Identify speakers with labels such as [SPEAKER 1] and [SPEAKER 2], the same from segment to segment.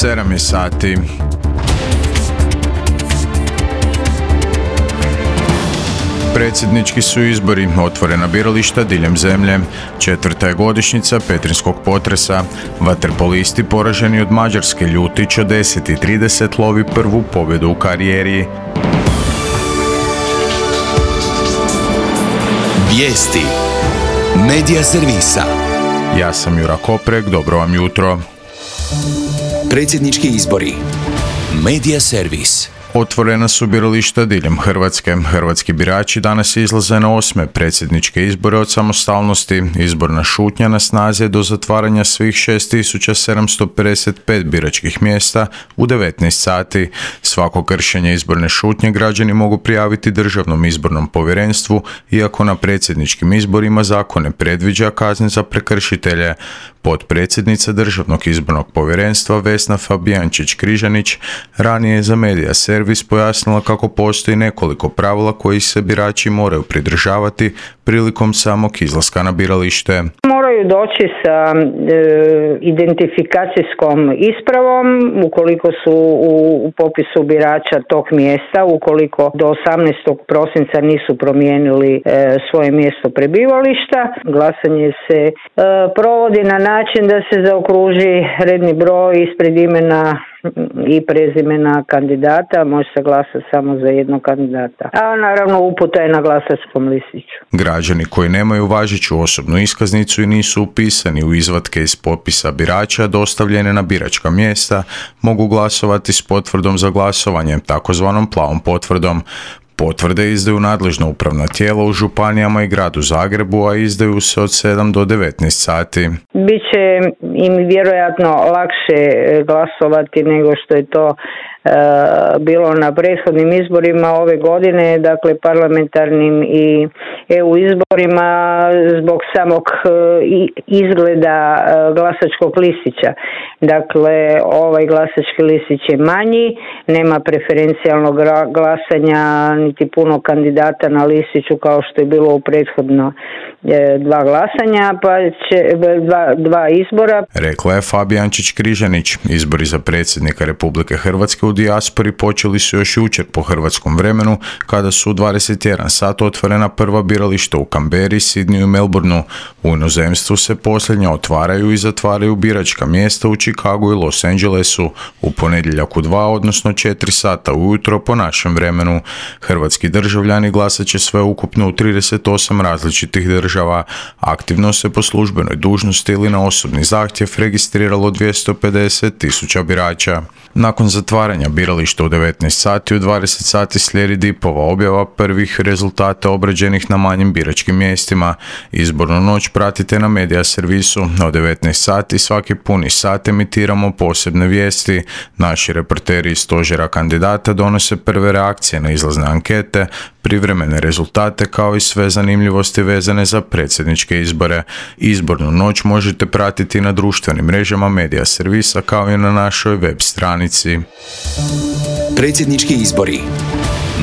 [SPEAKER 1] 7 je sati. Predsjednički su izbori, otvorena birališta diljem zemlje. 4. je godišnjica petrinjskog potresa. Vaterpolisti poraženi od Mađarske Ljutić od 10:30 lovi prvu pobjedu u karijeri.
[SPEAKER 2] Vijesti Medija servisa.
[SPEAKER 1] Ja sam Jura Koprek, dobro vam jutro.
[SPEAKER 2] Predsjednički izbori. Medija servis.
[SPEAKER 1] Otvorena su birališta diljem Hrvatske. Hrvatski birači danas izlaze na 8. predsjedničke izbore od samostalnosti. Izborna šutnja na snazi je do zatvaranja svih 6755 biračkih mjesta u 19 sati. Svako kršenje izborne šutnje građani mogu prijaviti Državnom izbornom povjerenstvu, iako na predsjedničkim izborima zakon ne predviđa kazne za prekršitelje. Potpredsjednica Državnog izbornog povjerenstva Vesna Fabijančić-Križanić ranije je za Medija servis pojasnila kako postoji nekoliko pravila koji se birači moraju pridržavati prilikom samog izlaska na biralište.
[SPEAKER 3] Moraju doći sa identifikacijskom ispravom ukoliko su u popisu birača tog mjesta, ukoliko do 18. prosinca nisu promijenili svoje mjesto prebivališta. Glasanje se provodi na način da se zaokruži redni broj ispred imena i prezimena kandidata, može se glasati samo za jednog kandidata. A naravno uputa je na glasačkom listiću.
[SPEAKER 1] Građani koji nemaju važeću osobnu iskaznicu i nisu upisani u izvatke iz popisa birača dostavljene na biračka mjesta mogu glasovati s potvrdom za glasovanje, takozvanom plavom potvrdom. Potvrde izdaju nadležna upravna tijela u županijama i gradu Zagrebu, a izdaju se od 7 do 19 sati.
[SPEAKER 3] Biće im vjerojatno lakše glasovati nego što je to bilo na prethodnim izborima ove godine, dakle parlamentarnim i EU izborima zbog samog izgleda glasačkog listića. Dakle, ovaj glasački listić je manji, nema preferencijalnog glasanja niti puno kandidata na listiću kao što je bilo u prethodno dva glasanja, pa će dva izbora.
[SPEAKER 1] Rekla je Fabijančić-Križanić. Izbori za predsjednika Republike Hrvatske u dijaspori počeli su još jučer po hrvatskom vremenu, kada su u 21 sat otvorena prva birališta u Canberri, Sidneyu i Melbourneu. U inozemstvu se posljednja otvaraju i zatvaraju biračka mjesta u Chicagu i Los Angelesu u ponedjeljak u 2, odnosno 4 sata ujutro po našem vremenu. Hrvatski državljani glasat će sve ukupno u 38 različitih država. Aktivno se po službenoj dužnosti ili na osobni zahtjev registriralo 250.000 birača. Nakon zatvaranja birališta u 19 sati, u 20 sati slijedi DIP-ova objava prvih rezultata obrađenih na manjim biračkim mjestima. Izbornu noć pratite na Medija servisu. Od 19 sati svaki puni sat emitiramo posebne vijesti. Naši reporteri iz stožera kandidata donose prve reakcije na izlazne ankete, privremene rezultate kao i sve zanimljivosti vezane za predsjedničke izbore. Izbornu noć možete pratiti na društvenim mrežama Medija servisa kao i na našoj web stranici.
[SPEAKER 2] Predsjednički izbori.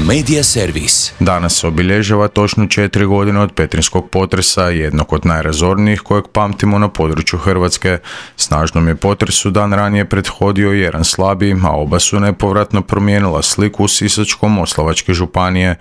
[SPEAKER 2] Medija servis.
[SPEAKER 1] Danas se obilježava točno 4 godine od petrinjskog potresa, jednog od najrazornijih kojeg pamtimo na području Hrvatske. Snažnom je potresu dan ranije prethodio jedan slabiji, a oba su nepovratno promijenila sliku Sisačko-moslavačke županije.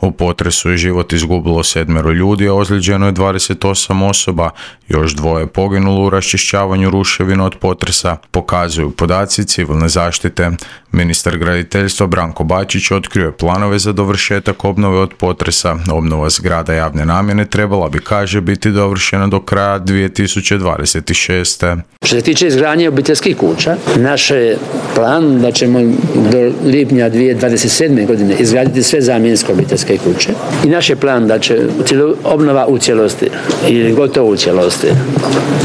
[SPEAKER 1] U potresu je život izgubilo 7 ljudi, a ozlijeđeno je 28 osoba. Još 2 poginulo u raščišćavanju ruševina od potresa, pokazuju podaci civilne zaštite. Ministar graditeljstva Branko Bačić otkrio je planove za dovršetak obnove od potresa. Obnova zgrada javne namjene trebala bi, kaže, biti dovršena do kraja 2026.
[SPEAKER 4] Što se tiče izgradnje obiteljskih kuća, naš je plan da ćemo do lipnja 2027. godine izgraditi sve zamjenske obiteljske kuće. I naš je plan da će obnova u cijelosti ili gotovo u cijelosti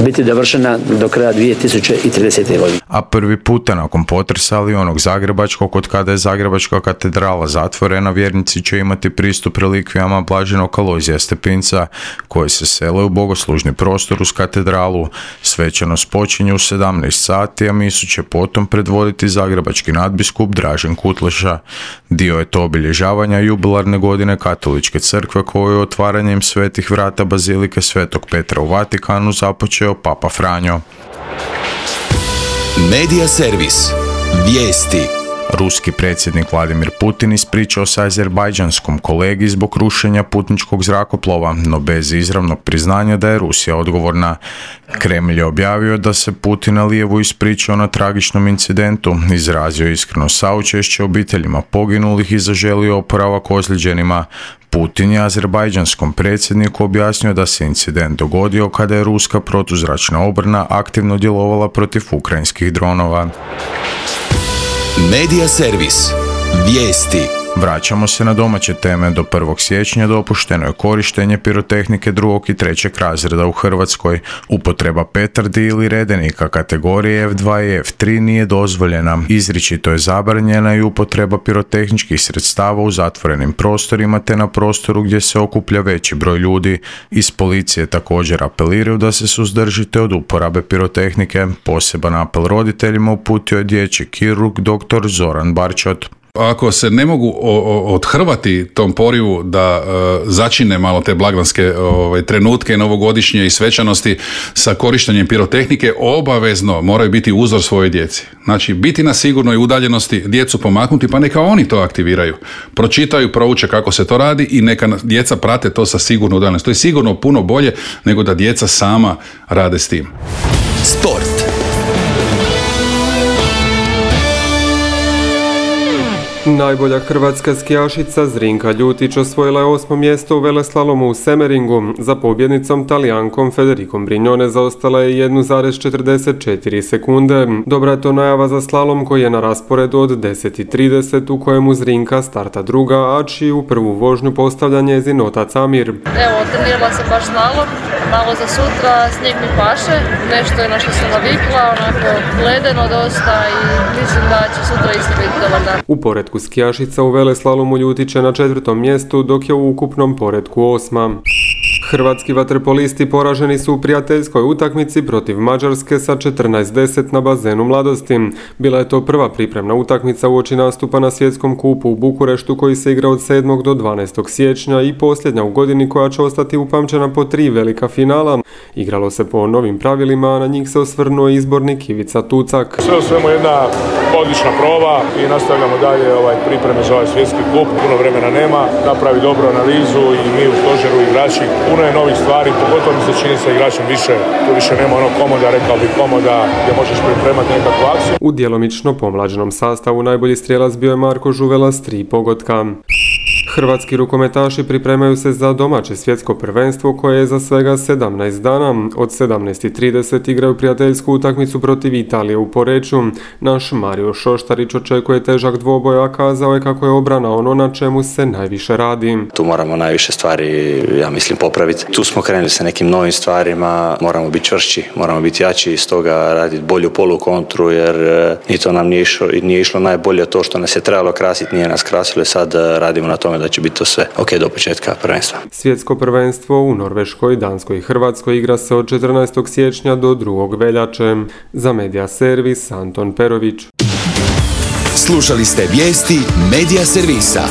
[SPEAKER 4] biti dovršena do kraja 2030. godine.
[SPEAKER 1] A prvi puta nakon potresa, ali onog zagrebačkog, od kada je Zagrebačka katedrala zatvorena, vjernici će imati pristup relikvijama blaženog Alojzija Stepinca, koji se sele u bogoslužni prostor uz katedralu. Svečanost počinje u 17 sati, a misu će potom predvoditi zagrebački nadbiskup Dražen Kutleša. Dio je to obilježavanja jubilarne godine Katoličke crkve, koju je otvaranjem svetih vrata bazilike Svetog Petra u Vatikanu započeo Papa Franjo.
[SPEAKER 2] Medija servis. Vijesti.
[SPEAKER 1] Ruski predsjednik Vladimir Putin ispričao se azerbajdžanskom kolegi zbog rušenja putničkog zrakoplova, no bez izravnog priznanja da je Rusija odgovorna. Kremlj je objavio da se Putin Alijevu ispričao na tragičnom incidentu, izrazio iskreno saučešće obiteljima poginulih i zaželio oporavak ozlijeđenima. Putin je azerbajdžanskom predsjedniku objasnio da se incident dogodio kada je ruska protuzračna obrana aktivno djelovala protiv ukrajinskih dronova.
[SPEAKER 2] Medija servis. Vijesti.
[SPEAKER 1] Vraćamo se na domaće teme. Do 1. siječnja dopušteno je korištenje pirotehnike 2. i 3. razreda u Hrvatskoj. Upotreba petardi ili redenika kategorije F2 i F3 nije dozvoljena. Izričito je zabranjena i upotreba pirotehničkih sredstava u zatvorenim prostorima te na prostoru gdje se okuplja veći broj ljudi. Iz policije također apeliraju da se suzdržite od uporabe pirotehnike. Poseban apel roditeljima uputio je dječji kirurg dr. Zoran Barčot.
[SPEAKER 5] Ako se ne mogu odhrvati tom porivu da začine malo te blagdanske trenutke novogodišnje i svečanosti sa korištenjem pirotehnike, obavezno moraju biti uzor svojoj djeci. Znači, biti na sigurnoj udaljenosti, djecu pomaknuti, pa neka oni to aktiviraju. Pročitaju, prouče kako se to radi i neka djeca prate to sa sigurno udaljenosti. To je sigurno puno bolje nego da djeca sama rade s tim.
[SPEAKER 2] Sport.
[SPEAKER 6] Najbolja hrvatska skijašica Zrinka Ljutić osvojila je 8. mjesto u veleslalomu u Semeringu. Za pobjednicom Talijankom Federikom Brignone zaostala je 1,44 sekunde. Dobra je to najava za slalom koji je na rasporedu od 10:30 u kojemu Zrinka starta druga, a čiju prvu vožnju postavlja njezin otac Amir.
[SPEAKER 7] Evo, trenirala sam baš slalom, malo za sutra, snijeg mi paše, nešto je na što sam navikla, onako ledeno dosta i mislim da će sutra isto biti dobar dan.
[SPEAKER 6] U poretku skijašica u veleslalomu Ljutić je na 4. mjestu, dok je u ukupnom poretku 8. Hrvatski vaterpolisti poraženi su u prijateljskoj utakmici protiv Mađarske sa 14:10 na bazenu Mladosti. Bila je to prva pripremna utakmica uoči nastupa na svjetskom kupu u Bukureštu koji se igra od 7. do 12. siječnja i posljednja u godini koja će ostati upamćena po 3 velika finala. Igralo se po novim pravilima, a na njih se osvrnuo izbornik Ivica Tucak.
[SPEAKER 8] Sve u svemu jedna odlična proba i nastavljamo dalje pripreme za ovaj svjetski kup. Puno vremena nema, napravi dobru analizu i mi u stožeru igrači. Puno je novih stvari, pogotovo mi se čini sa igračem tu više nema onog komoda, rekao bih komoda gdje možeš pripremati nekakvu akciju.
[SPEAKER 6] U djelomično pomlađenom sastavu najbolji strijelac bio je Marko Žuvela s 3 pogotka. Hrvatski rukometaši pripremaju se za domaće svjetsko prvenstvo koje je za svega 17 dana. Od 17:30 igraju prijateljsku utakmicu protiv Italije u Poreču. Naš Mario Šoštarić očekuje težak dvoboj, a kazao je kako je obrana ono na čemu se najviše radi.
[SPEAKER 9] Tu moramo najviše stvari, ja mislim, popraviti. Tu smo krenuli sa nekim novim stvarima, moramo biti čvršći, moramo biti jači i stoga raditi bolju polukontru jer ni to nam nije išlo najbolje, to što nas je trebalo krasiti nije nas krasilo i sad radimo na tome da će biti to sve ok do početka prvenstva.
[SPEAKER 6] Svjetsko prvenstvo u Norveškoj, Danskoj i Hrvatskoj igra se od 14. siječnja do 2. veljače. Za Medija servis Anton Perović.
[SPEAKER 2] Slušali ste vijesti Medija servisa.